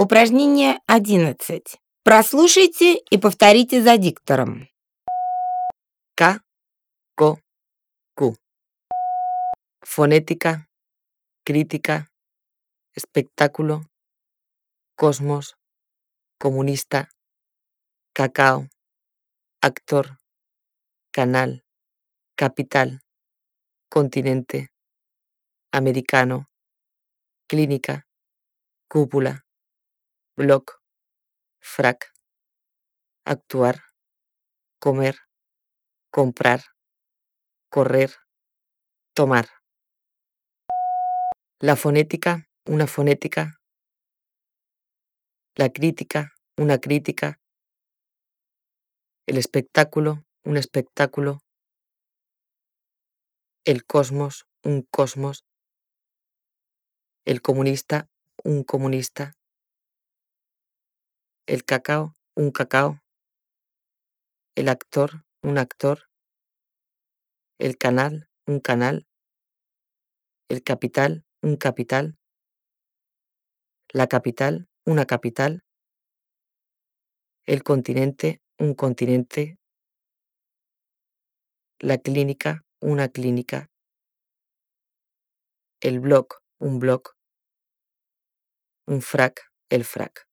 Упражнение 11. Прослушайте и повторите за диктором. K, Ko, Q. Fonética, crítica, espectáculo, cosmos, comunista, cacao, actor, canal, capital, continente, americano, clínica, cúpula, bloc, frac, actuar, comer, comprar, correr, tomar. La fonética, una fonética. La crítica, una crítica. El espectáculo, un espectáculo. El cosmos, un cosmos. El comunista, un comunista. El cacao, un cacao. El actor, un actor. El canal, un canal. El capital, un capital. La capital, una capital. El continente, un continente. La clínica, una clínica. El bloc, un bloc. Un frac, el frac.